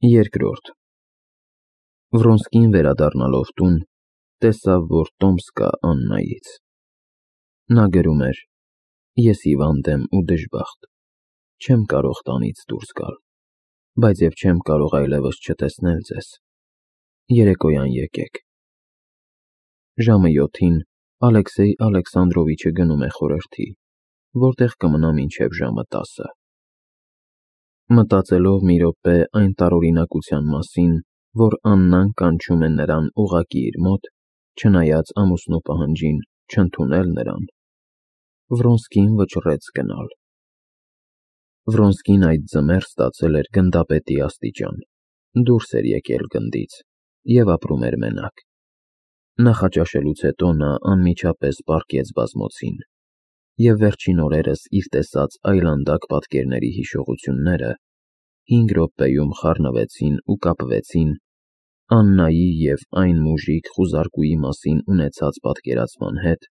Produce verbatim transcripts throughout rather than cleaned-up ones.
Երկրորդ Վրոնսկին վերադառնալով տուն, տեսավ, որ տոմս կա Աննայից։ Նա գրում էր. Ես հիվանդ եմ ու դժբախտ, չեմ կարող տանից դուրս գալ, բայց և չեմ կարող այլևս չտեսնել ձեզ, երեկոյան եկեք։ Ժամը յոթին Ալեքսեյ Ալեքսանդրովիչը գնում է խորհրդի, որտեղ կմնա մինչև ժամը տասը։ Մտածելով մի րոպե այն տարօրինակության մասին, որ Աննան կանչում է նրան ուղղակի իր մոտ, չնայած ամուսնու պահանջին չընդունել նրան, Վրոնսկին վճռեց գնալ։ Վրոնսկին այդ ձմեռ ստացել էր գնդապետի աստիճան, դուրս էր եկել գնդից և ապրում էր մենակ։ Նախաճաշելուց հետո նա անմիջապես պառկեց բազմոցին, և վերջին օրերս իր տեսած այլանդակ պատկերների հիշողությունները հինգ րոպեում խառնվեցին ու կապվեցին Աննայի և այն մուժիկ խուզարկուի մասին ունեցած պատկերացման հետ,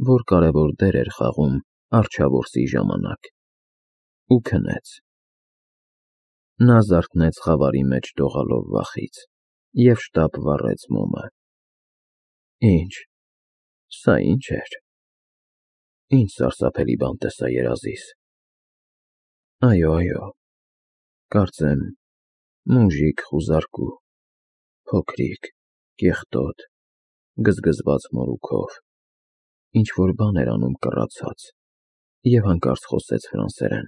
որ կարևոր դեր էր խաղում առջևորսի ժամանակ, ու քնեց։ Նա զարթնեց խավարի մեջ դողալով վախից և շտապ վառեց մոմը։ Ինչ, սա ի՞նչ էր։ Ինչ սարսափելի բան տեսա երազիս։ Այո, այո, կարծեմ մուժիկ խուզարկու, փոքրիկ, կեղտոտ, գզգզված մորուքով, ինչ-որ բան էր անում կռացած և հանկարծ խոսեց ֆրանսերեն,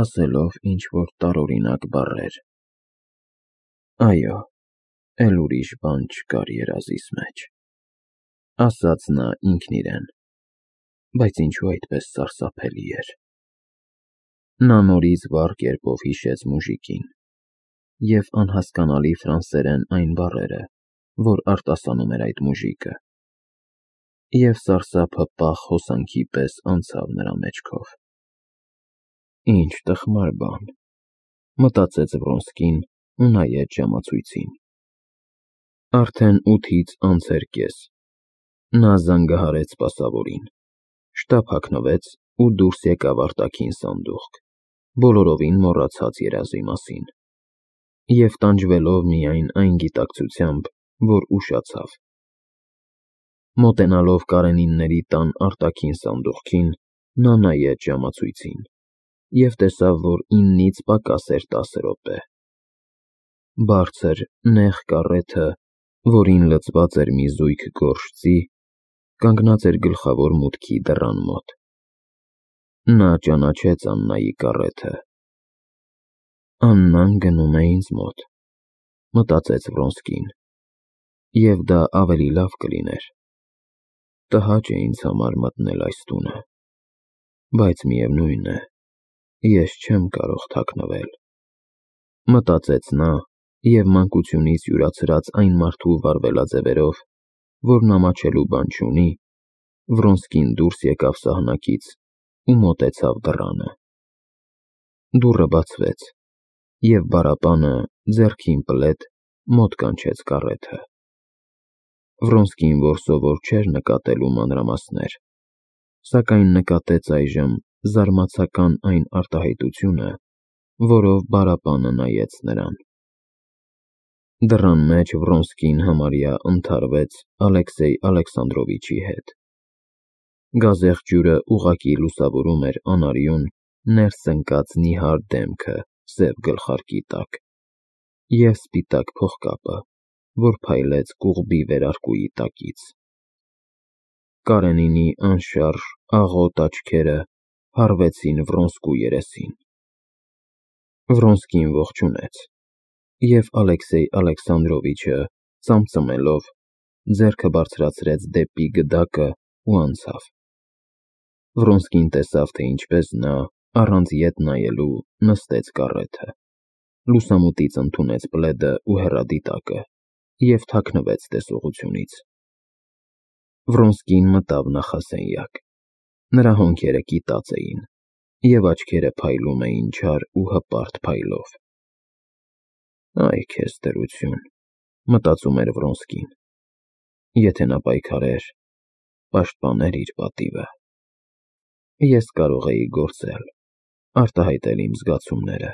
ասելով ինչ-որ տարօրինակ բառեր։ Այո, էլ ուրիշ բան չկար երազիս մեջ, ասաց նա ինքն իրեն, բայց ինչու այդպես սարսափելի էր։ Նա նորից վառ կերպով հիշեց մուժիկին և անհասկանալի ֆրանսերեն այն բառերը, որ արտասանում էր այդ մուժիկը, և սարսափը պաղ հոսանքի պես անցավ նրա մեջքով։ Ինչ տխմար բան, մտածեց Վրոնսկին ու նայեց ժամացույցին։ Արդեն ութից անց էր կես։ Նա զանգահարեց սպասավորին, շտապ հագնվեց ու դուրս եկավ արտաքին սանդուղք, բոլորովին մոռացած երազի մասին, և տանջվելով միայն այն գիտակցությամբ, որ ուշացավ։ Մոտենալով Կարենինների տան արտաքին սանդուղքին, նա նայեց ժամացույցին և տեսավ, որ իննից պակաս էր տասը րոպե։ Բարձր, նեղ կառեթը, որին լցված էր մի զույգ գորշ ձի, կանգնած էր գլխավոր մուտքի դռան մոտ։ Նա ճանաչեց Աննայի կառեթը։ Աննան գնում է ինձ մոտ, մտածեց Վրոնսկին, և դա ավելի լավ կլիներ։ Տհաճ է ինձ համար մտնել այս տունը, բայց միևնույն է, ես չեմ կարող թաքնվել, մտածեց նա և մանկությունից յուրացրած այն մարդու վարվելաձևերով, որն ամաչելու բան չունի, Վրոնսկին դուրս եկավ սահնակից ու մոտեցավ դռանը։ Դուռը բացվեց, և բառապանը ձեռքին պլետ մոտ կանչեց կառեթը։ Վրոնսկին, որ սովոր չէր նկատելու մանրամասներ, սակայն նկատեց այժմ զարմացական այն արտահայտությունը, որով բառապանը նայեց նրան։ Դռան մեջ Վրոնսկին համարյա ընդհարվեց Ալեքսեյ Ալեքսանդրովիչի հետ։ Գազեղ ջուրը ուղղակի լուսավորում էր անարյուն, ներս ընկած նիհար դեմքը սև գլխարկի տակ և սպիտակ փողկապը, որ փայլեց կուղբի վերարկուի տակից։ Կարենինի անշարժ, աղոտ աչքերը հառվեցին Վրոնսկու երեսին։ Վրոնսկին ողջունեց, և Ալեքսեյ Ալեքսանդրովիչը, ծամծմելով, ձեռքը բարձրացրեց դեպի գդակը ու անցավ։ Վրոնսկին տեսավ, թե ինչպես նա, առանց ետ նայելու, նստեց կառեթը, լուսամուտից ընդունեց պլեդը ու հեռադիտակը և թաքնվեց տեսողությունից։ Վրոնսկին մտավ նախասենյակ։ Նրա հոնքերը կիտած էին, և աչքերը փայլում էին չար ու հպարտ փայլով։ Այ քեզ դրություն, մտածում էր Վրոնսկին, եթե նա պայքարեր, պաշտպաներ իր պատիվը։ Ես կարող էի գործել, արտահայտել իմ զգացումները։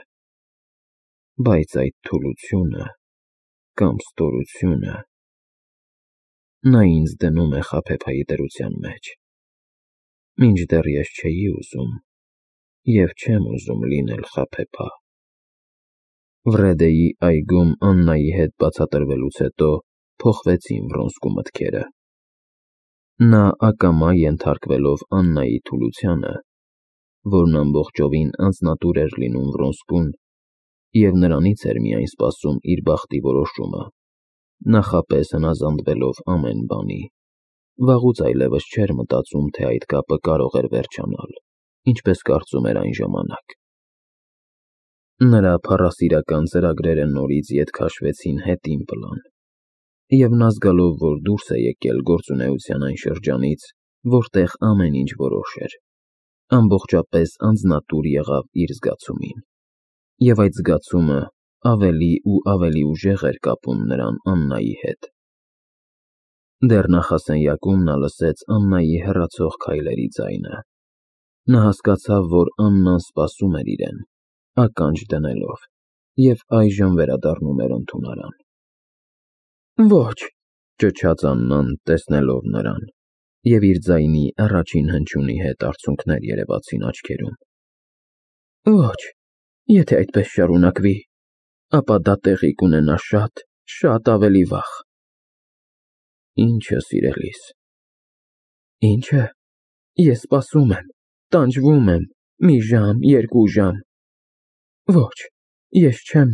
Բայց այդ թուլությունը կամ ստորությունը նա ինձ դնում է խաբեբայի դրության մեջ, մինչդեռ ես չէի ուզում և չեմ ուզում լինել խաբեբա։ Վրեդեի այգում Աննայի հետ բացատրվելուց հետո փոխվեցին Վրոնսկու մտքերը։ Նա ակամա ենթարկվելով Աննայի թուլությանը, որն ամբողջովին անձնատուր էր լինում Վրոնսկուն, և նրանից էր միայն սպասում իր բախտի որոշումը, նախապես հնազանդվելով ամեն բանի, վաղուց այլևս չէր մտածում, թե այդ կապը կարող էր վերջանալ, ինչպես կարծում էր այն ժամանակ։ Նրա փառասիրական ծրագրերը նորից ետ քաշվեցին հետին պլան, և նա զգալով, որ դուրս է եկել գործունեության այն շրջանից, որտեղ ամեն ինչ որոշ էր, ամբողջապես անձնատուր եղավ իր զգացումին, և այդ զգացումը ավելի ու ավելի ուժեղ էր կապում նրան Աննայի հետ։ Դեռ նախասենյակում նա լսեց Աննայի հեռացող քայլերի ձայնը։ Նա հասկացավ, որ Աննան սպասում էր իրեն, ականջ դնելով, և այժմ վերադառնում էր ընդունարան։ «Ոչ», ճչաց Աննան, տեսնելով նրան, և իր ձայնի առաջին հնչյունի հետ արցունքներ երևացին աչքերում։ «Ոչ, եթե այդպես շարունակվի, ապա դա տեղի կունենա շատ, շատ ավելի վաղ»։ «Ի՞նչը, սիրելիս»։ «Ի՞նչը։ Ես սպասում եմ, տանջվում եմ, մի ժամ, երկու ժամ։ Ոչ, ես չեմ,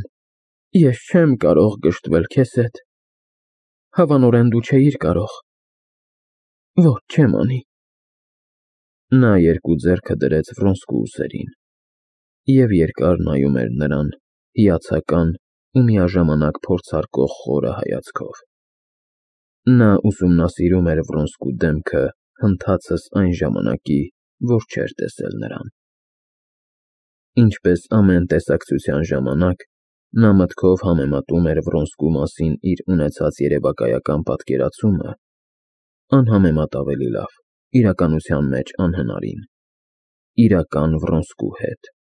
ես չեմ կարող գժտվել քեզ հետ։ Հավանորեն դու չէիր կարող։ Ոչ, չեմ անի»։ Նա երկու ձեռքը դրեց Վրոնսկու ուսերին և երկար նայում էր նրան հիացական ու միաժամանակ փորձարկող խորը հայացքով։ Նա ուսումնասիրում էր Վրոնսկու դեմքը հնդհացս այն ժամանակի, որ չէր տեսել նրան։ Ինչպես ամեն տեսակցության ժամանակ, նա մտքով համեմատում էր Վրոնսկու մասին իր ունեցած երևակայական պատկերացումը անհամեմատ ավելի լավ, իրականության մեջ անհնարին, իրական Վրոնսկու հետ։